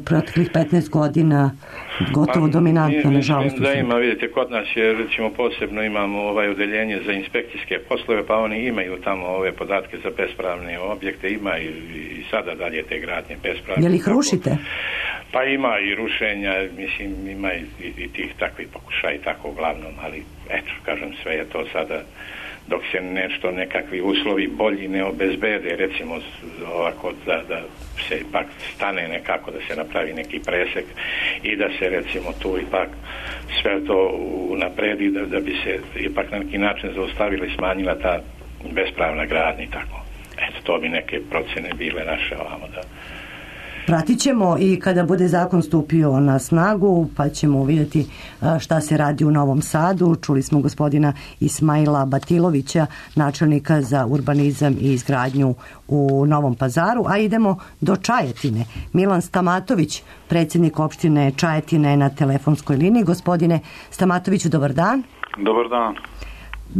D: proteklih 15 godina gotovo dominantna, nažalost?
O: Da ima, vidite, kod nas je, recimo, posebno imamo odeljenje za inspekcijske poslove, pa oni imaju tamo ove podatke za bespravne objekte, ima i sada dalje te gradnje bespravne.
D: Je li ih rušite?
O: Pa ima i rušenja, mislim, ima i tih takvih pokušaja i tako uglavnom, ali eto, kažem, sve je to sada dok se nešto, nekakvi uslovi bolji ne obezbede, recimo ovako da se ipak stane nekako, da se napravi neki presek i da se recimo tu ipak sve to unapredi, da bi se ipak na neki način zaustavila i smanjila ta bespravna gradnja i tako. Eto, to bi neke procene bile naše ovamo da...
D: Pratit ćemo i kada bude zakon stupio na snagu, pa ćemo vidjeti šta se radi u Novom Sadu. Čuli smo gospodina Ismaila Batilovića, načelnika za urbanizam i izgradnju u Novom Pazaru, a idemo do Čajetine. Milan Stamatović, predsjednik opštine Čajetine, na telefonskoj liniji. Gospodine Stamatoviću, dobar dan.
P: Dobar dan.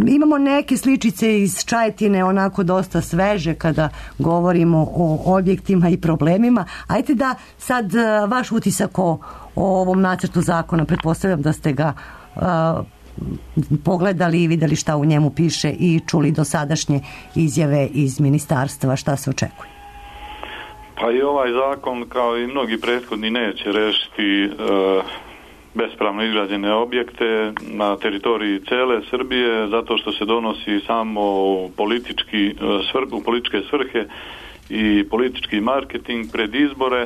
D: Imamo neke sličice iz Čajetine, onako dosta sveže kada govorimo o objektima i problemima. Ajde da sad vaš utisak o ovom nacrtu zakona, pretpostavljam da ste ga pogledali i vidjeli šta u njemu piše i čuli dosadašnje izjave iz ministarstva, šta se očekuje?
P: Pa i ovaj zakon, kao i mnogi prethodni, neće rešiti bespravno izgrađene objekte na teritoriji cele Srbije, zato što se donosi samo u političke svrhe i politički marketing pred izbore,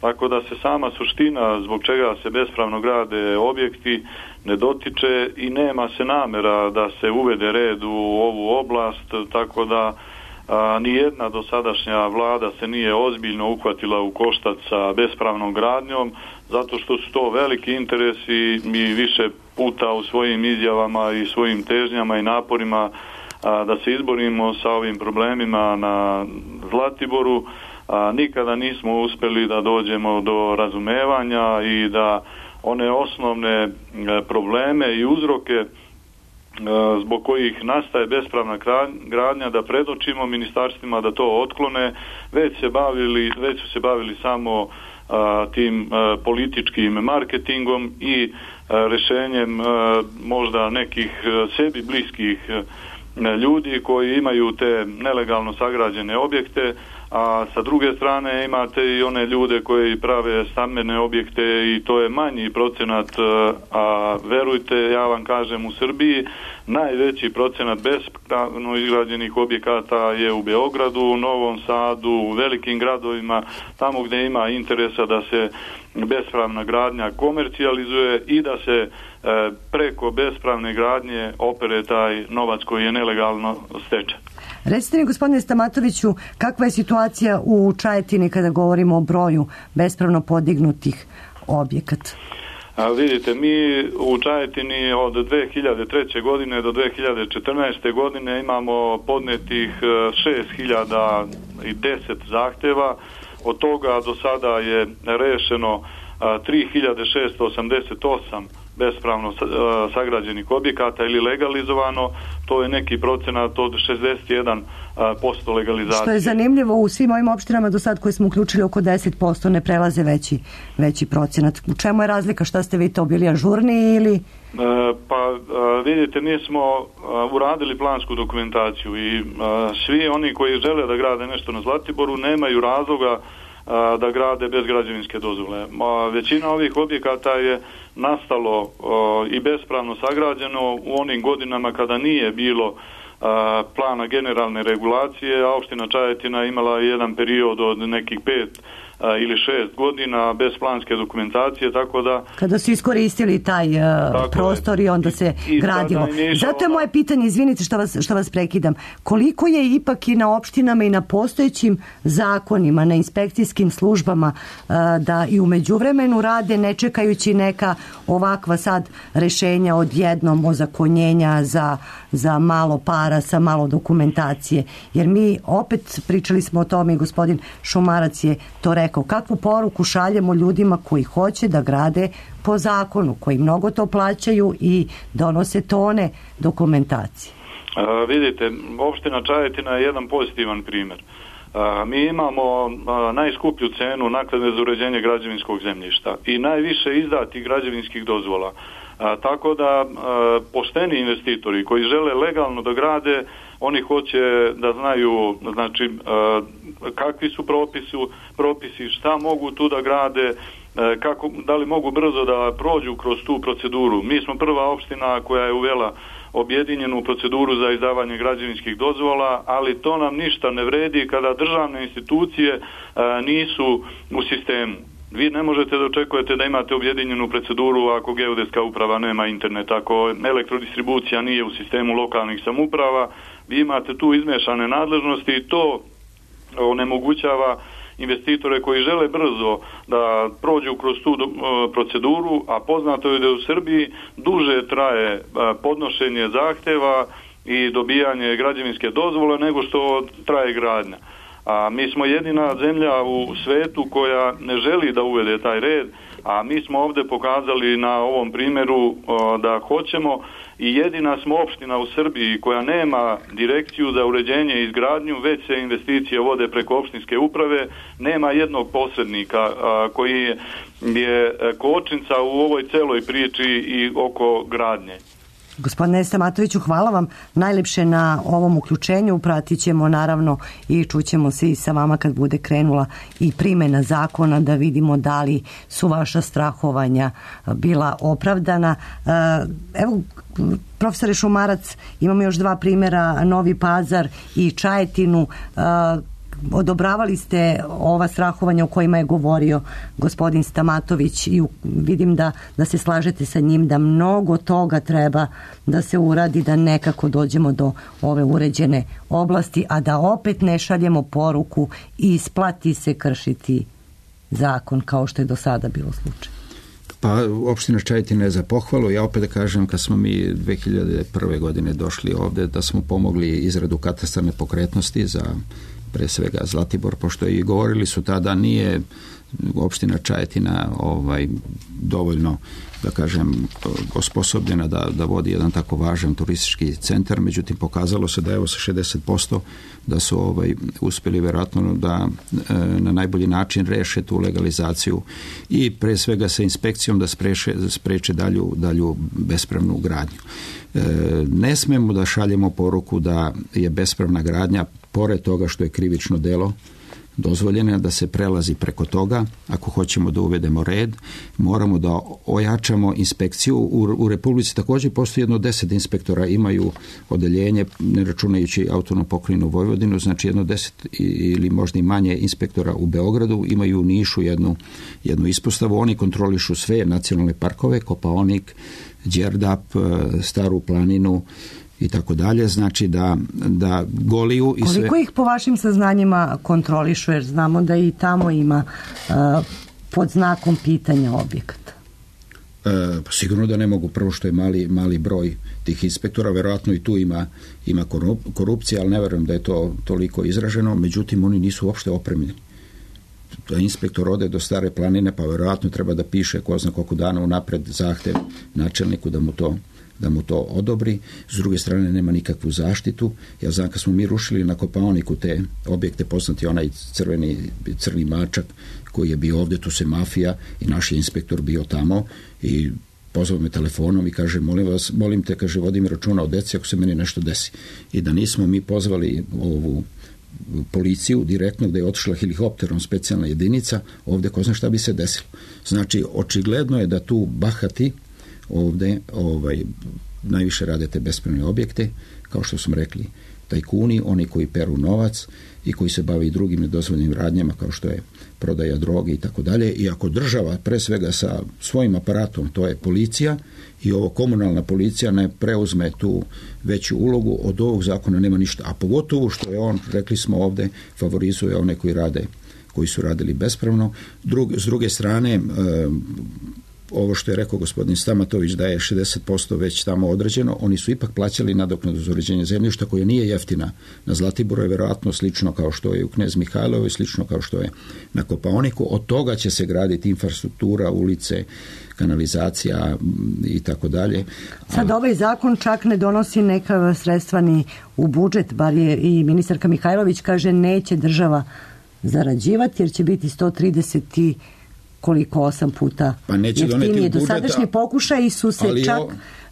P: tako da se sama suština zbog čega se bespravno grade objekti ne dotiče i nema se namera da se uvede red u ovu oblast, tako da nijedna dosadašnja vlada se nije ozbiljno uhvatila u koštac sa bespravnom gradnjom, zato što su to veliki interesi. Mi više puta u svojim izjavama i svojim težnjama i naporima da se izborimo sa ovim problemima na Zlatiboru, nikada nismo uspjeli da dođemo do razumevanja i da one osnovne probleme i uzroke zbog kojih nastaje bespravna gradnja da predočimo ministarstvima da to otklone, već su se bavili samo tim političkim marketingom i rešenjem možda nekih sebi bliskih ljudi koji imaju te nelegalno sagrađene objekte, a sa druge strane imate i one ljude koji prave stambene objekte i to je manji procenat, a verujte, ja vam kažem, u Srbiji najveći procenat bespravno izgrađenih objekata je u Beogradu, u Novom Sadu, u velikim gradovima, tamo gdje ima interesa da se bespravna gradnja komercijalizuje i da se preko bespravne gradnje opere taj novac koji je nelegalno stečen.
D: Recite mi, gospodine Stamatoviću, kakva je situacija u Čajetini kada govorimo o broju bespravno podignutih objekata?
P: Vidite, mi u Čajetini od 2003. godine do 2014. godine imamo podnetih 6010 zahtjeva, od toga do sada je rešeno 3688 bespravno sagrađenih objekata ili legalizovano, to je neki procenat od 61% legalizacije. Što
D: je zanimljivo, u svim ovim opštinama do sad koje smo uključili oko 10% ne prelaze veći procenat. U čemu je razlika? Šta ste vi to bili ažurniji ili...
P: Pa vidite, mi smo uradili plansku dokumentaciju i svi oni koji žele da grade nešto na Zlatiboru nemaju razloga da grade bez građevinske dozvole. Većina ovih objekata je nastalo i bespravno sagrađeno u onim godinama kada nije bilo plana generalne regulacije, a opština Čajetina imala jedan period od nekih 5 ili 6 godina bez planske dokumentacije, tako da...
D: Kada su iskoristili taj prostor i onda se gradilo. Zato je moje pitanje, izvinite što vas prekidam, koliko je ipak i na opštinama i na postojećim zakonima, na inspekcijskim službama da i u međuvremenu rade ne čekajući neka ovakva sad rešenja odjednom ozakonjenja za malo para, sa malo dokumentacije. Jer mi opet pričali smo o tome i gospodin Šumarac je to rekao, rekao, kakvu poruku šaljemo ljudima koji hoće da grade po zakonu, koji mnogo to plaćaju i donose tone dokumentacije?
P: Vidite, opština Čajetina je jedan pozitivan primjer. Mi imamo najskuplju cenu naknade za uređenje građevinskog zemljišta i najviše izdatih građevinskih dozvola. Tako da pošteni investitori koji žele legalno da grade, oni hoće da znaju, znači, kakvi su propisi, šta mogu tu da grade, da li mogu brzo da prođu kroz tu proceduru. Mi smo prva opština koja je uvela objedinjenu proceduru za izdavanje građevinskih dozvola, ali to nam ništa ne vredi kada državne institucije nisu u sistemu. Vi ne možete da očekujete da imate objedinjenu proceduru ako geodetska uprava nema internet, ako elektrodistribucija nije u sistemu lokalnih samouprava. Vi imate tu izmešane nadležnosti i to onemogućava investitore koji žele brzo da prođu kroz tu proceduru, a poznato je da u Srbiji duže traje podnošenje zahteva i dobijanje građevinske dozvole nego što traje gradnja. A mi smo jedina zemlja u svetu koja ne želi da uvede taj red, a mi smo ovdje pokazali na ovom primjeru da hoćemo i jedina smo opština u Srbiji koja nema direkciju za uređenje i izgradnju, već se investicije vode preko opštinske uprave, nema jednog posrednika koji je kočnica u ovoj celoj priči i oko gradnje.
D: Gospodine Stamatoviću, hvala vam najlepše na ovom uključenju. Pratit ćemo naravno i čućemo se i sa vama kad bude krenula i primjena zakona da vidimo da li su vaša strahovanja bila opravdana. Evo, profesore Šumarac, imamo još 2 primjera, Novi Pazar i Čajetinu. Odobravali ste ova strahovanja o kojima je govorio gospodin Stamatović i vidim da se slažete sa njim da mnogo toga treba da se uradi, da nekako dođemo do ove uređene oblasti, a da opet ne šaljemo poruku i isplati se kršiti zakon kao što je do sada bilo slučaj.
E: Pa opština Čajetina je za pohvalu. Ja opet da kažem, kad smo mi 2001. godine došli ovdje, da smo pomogli izradu katastra nepokretnosti za pre svega Zlatibor, pošto i govorili su tada nije opština Čajetina dovoljno, da kažem, osposobljena da vodi jedan tako važan turistički centar, međutim pokazalo se da evo sa 60% da su uspjeli vjerojatno da na najbolji način reše tu legalizaciju i pre svega sa inspekcijom da spreče dalju bespravnu gradnju. Ne smemo da šaljemo poruku da je bespravna gradnja, pored toga što je krivično delo, dozvoljeno da se prelazi preko toga. Ako hoćemo da uvedemo red, moramo da ojačamo inspekciju. U Republici također postoji jedno 10 inspektora, imaju odeljenje, ne računajući autonomnu pokrajinu Vojvodinu, znači jedno 10 ili možda i manje inspektora u Beogradu, imaju u Nišu jednu ispostavu. Oni kontrolišu sve nacionalne parkove, Kopaonik, Đerdap, Staru planinu i tako dalje, znači da Goliju i sve.
D: Koliko ih po vašim saznanjima kontrolišu, jer znamo da i tamo ima pod znakom pitanja objekata?
E: Sigurno da ne mogu, prvo što je mali broj tih inspektora, verovatno i tu ima korupcija, ali ne verujem da je to toliko izraženo, međutim oni nisu uopšte opremljeni. Da inspektor ode do Stare planine, pa verovatno treba da piše ko zna koliko dana unapred zahtev načelniku da mu to odobri. S druge strane nema nikakvu zaštitu. Ja znam kad smo mi rušili na Kopaoniku te objekte, poznati onaj crni mačak koji je bio ovdje, tu se mafija i naš je inspektor bio tamo i pozvao me telefonom i kaže, molim te, kaže, vodim računa o deci ako se meni nešto desi. I da nismo mi pozvali ovu policiju direktno, gdje je otišla helikopterom specijalna jedinica, ovdje ko zna šta bi se desilo. Znači, očigledno je da tu bahati ovdje najviše rade te bespravne objekte, kao što smo rekli, tajkuni, oni koji peru novac i koji se bave i drugim nedozvoljenim radnjama kao što je prodaja droge i tako dalje. I ako država pre svega sa svojim aparatom, to je policija i ovo komunalna policija, ne preuzme tu veću ulogu, od ovog zakona nema ništa. A pogotovo što je on, rekli smo ovdje, favorizuje one koji su radili bespravno. S druge strane, ovo što je rekao gospodin Stamatović da je 60% već tamo određeno, oni su ipak plaćali nadoknadu za uređenje zemljišta koja nije jeftina. Na Zlatiboru je vjerojatno slično kao što je u Knez Mihajlovoj, slično kao što je na Kopaoniku. Od toga će se graditi infrastruktura, ulice, kanalizacija i tako dalje.
D: Sad ovaj zakon čak ne donosi neka sredstva ni u budžet, bar je i ministarka Mihajlović kaže neće država zarađivati jer će biti 130 i koliko 8 puta jeftinije. Dosadašnji pokušaji su se čak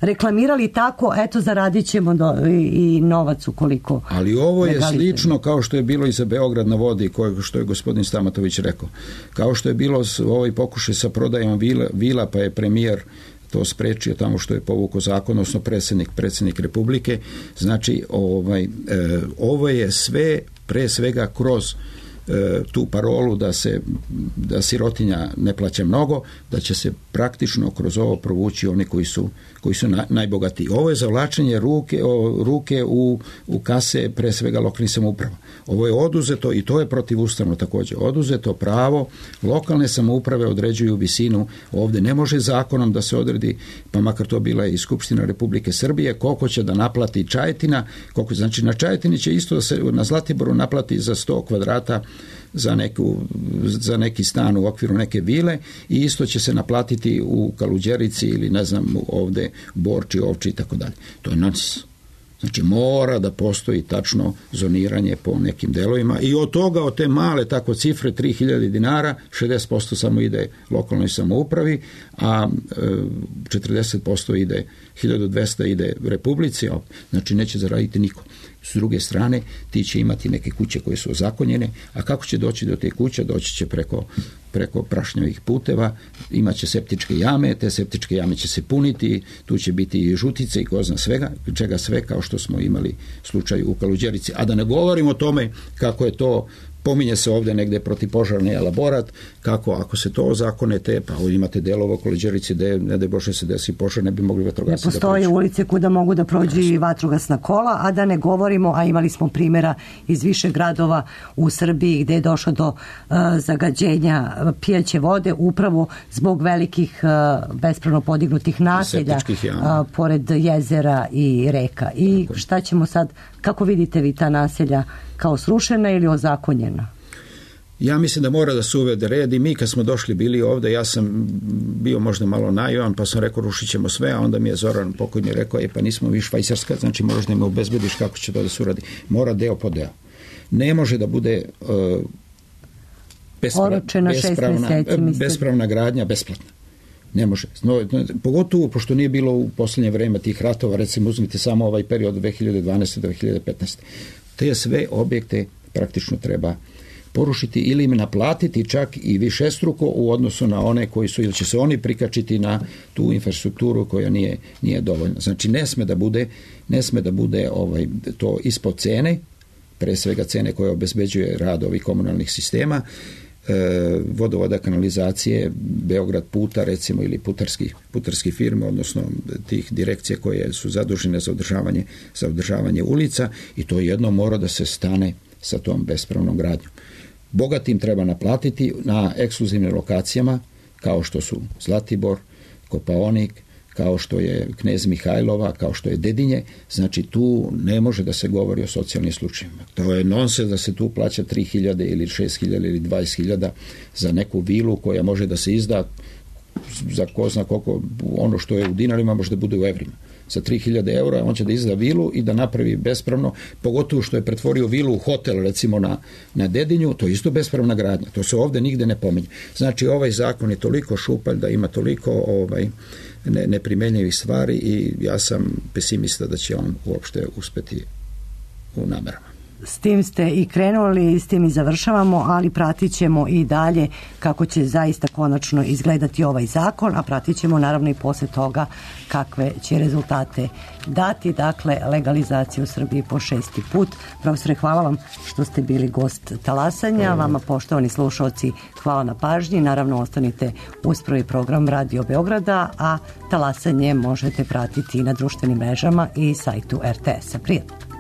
D: reklamirali tako, eto zaradit ćemo i novac ukoliko.
E: Ali ovo je slično kao što je bilo i za Beograd na vodi, što je gospodin Stamatović rekao. Kao što je bilo ovaj pokušaj sa prodajom vila, pa je premijer to sprečio tamo što je povukao zakon, odnosno predsjednik Republike. Znači, ovo je sve pre svega kroz tu parolu da sirotinja ne plaća mnogo, da će se praktično kroz ovo provući oni koji su najbogatiji. Ovo je zavlačenje ruke u kase pre svega lokalnih samouprava. Ovo je oduzeto i to je protivustavno također. Oduzeto pravo, lokalne samouprave određuju visinu. Ovdje ne može zakonom da se odredi, pa makar to bila i Skupština Republike Srbije, koliko će da naplati Čajetina, znači na Čajetini će isto da se na Zlatiboru naplati za 100 kvadrata za neki stan u okviru neke vile i isto će se naplatiti u Kaluđerici ili ne znam ovdje Borči, Ovči i tako dalje. To je nonsens. Znači mora da postoji tačno zoniranje po nekim delovima i od toga, od te male tako cifre 3000 dinara, 60% samo ide lokalnoj samoupravi, a 40% ide, 1200 ide Republici, znači neće zaraditi niko. S druge strane, ti će imati neke kuće koje su ozakonjene, a kako će doći do te kuće? Doći će preko prašnjavih puteva, imat će septičke jame, te septičke jame će se puniti, tu će biti i žutice i ko zna čega sve, kao što smo imali slučaj u Kaluđerici. A da ne govorimo o tome kako je to, pominje se ovdje negdje protipožarni elaborat, kako ako se to ozakonete, pa ovdje imate delova u Kaluđerici gdje ne daj Bože se desi požar, ne bi mogli vatrogasci da prođu.
D: Postoje ulice kuda mogu da prođu i vatrogasna kola, a da ne govorimo, a imali smo primjera iz više gradova u Srbiji gdje je došlo do zagađenja pijaće vode upravo zbog velikih bespravno podignutih naselja pored jezera i reka. I šta ćemo sad, kako vidite vi ta naselja, kao srušena ili ozakonjena?
E: Ja mislim da mora da se uvede red i mi kad smo došli bili ovdje, ja sam bio možda malo naivan pa sam rekao rušit ćemo sve, a onda mi je Zoran pokojni rekao pa nismo vi Švajcarska, znači moraš da me obezbediš kako će to da se uradi. Mora deo po deo. Ne može da bude bespravna gradnja besplatna. Ne može. Pogotovo pošto nije bilo u posljednje vrijeme tih ratova, recimo uzmite samo ovaj period od 2012. do 2015. Te sve objekte praktično treba porušiti ili im naplatiti čak i višestruko u odnosu na one koji su, ili će se oni prikačiti na tu infrastrukturu koja nije dovoljna. Znači ne sme da bude to ispod cene, pre svega cene koje obezbeđuje rad ovih komunalnih sistema, vodovoda, kanalizacije, Beograd puta recimo ili putarski firme, odnosno tih direkcija koje su zadužene za održavanje ulica i to jedno mora da se stane sa tom bespravnom gradnjom. Bogatim treba naplatiti na ekskluzivnim lokacijama kao što su Zlatibor, Kopaonik, kao što je Knez Mihajlova, kao što je Dedinje, znači tu ne može da se govori o socijalnim slučajevima. To je nonsens da se tu plaća 3.000 ili 6.000 ili 20.000 za neku vilu koja može da se izda za ko zna koliko, ono što je u dinarima može da bude u evrima. Za 3.000 eura on će da izda vilu i da napravi bespravno, pogotovo što je pretvorio vilu u hotel recimo na Dedinju, to je isto bespravna gradnja. To se ovdje nigde ne pominje. Znači ovaj zakon je toliko šupalj da ima toliko neprimenjivih stvari i ja sam pesimista da će on uopšte uspeti u namerama.
D: S tim ste i krenuli, s tim i završavamo, ali pratit ćemo i dalje kako će zaista konačno izgledati ovaj zakon, a pratit ćemo naravno i posle toga kakve će rezultate dati, dakle legalizaciju u Srbiji po 6. put. Profesore, hvala vam što ste bili gost Talasanja, vama poštovani slušalci hvala na pažnji, naravno ostanite uz prvi program Radio Beograda, a Talasanje možete pratiti i na društvenim mrežama i sajtu RTS-a. Prijatno.